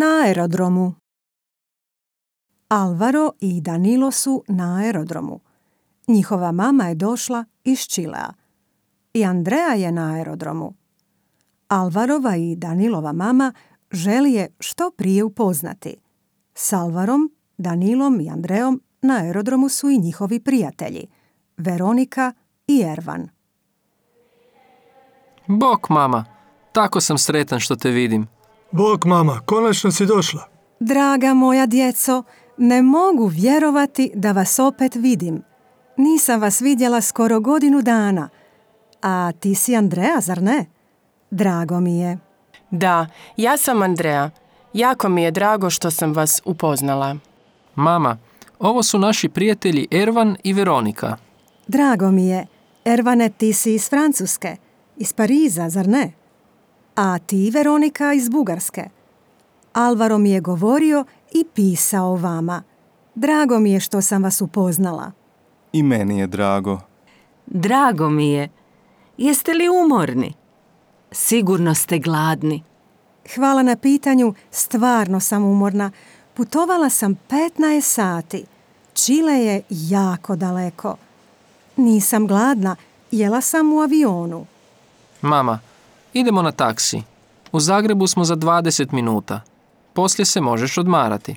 Na aerodromu. Alvaro i Danilo su na aerodromu. Njihova mama je došla iz Čilea. I Andrea je na aerodromu. Alvarova i Danilova mama želi je što prije upoznati. S Alvarom, Danilom i Andreom na aerodromu su i njihovi prijatelji, Veronika i Ervan. Bok, mama. Tako sam sretan što te vidim. Bok, mama, konačno si došla. Draga moja djeco, ne mogu vjerovati da vas opet vidim. Nisam vas vidjela skoro godinu dana. A ti si Andrea, zar ne? Drago mi je. Da, ja sam Andrea. Jako mi je drago što sam vas upoznala. Mama, ovo su naši prijatelji Ervan i Veronika. Drago mi je. Ervane, ti si iz Francuske. Iz Pariza, zar ne? A ti, Veronika, iz Bugarske. Alvaro mi je govorio i pisao vama. Drago mi je što sam vas upoznala. I meni je drago. Drago mi je. Jeste li umorni? Sigurno ste gladni. Hvala na pitanju, stvarno sam umorna. Putovala sam 15 sati. Čile je jako daleko. Nisam gladna, jela sam u avionu. Mama, idemo na taksi. U Zagrebu smo za 20 minuta. Poslije se možeš odmarati.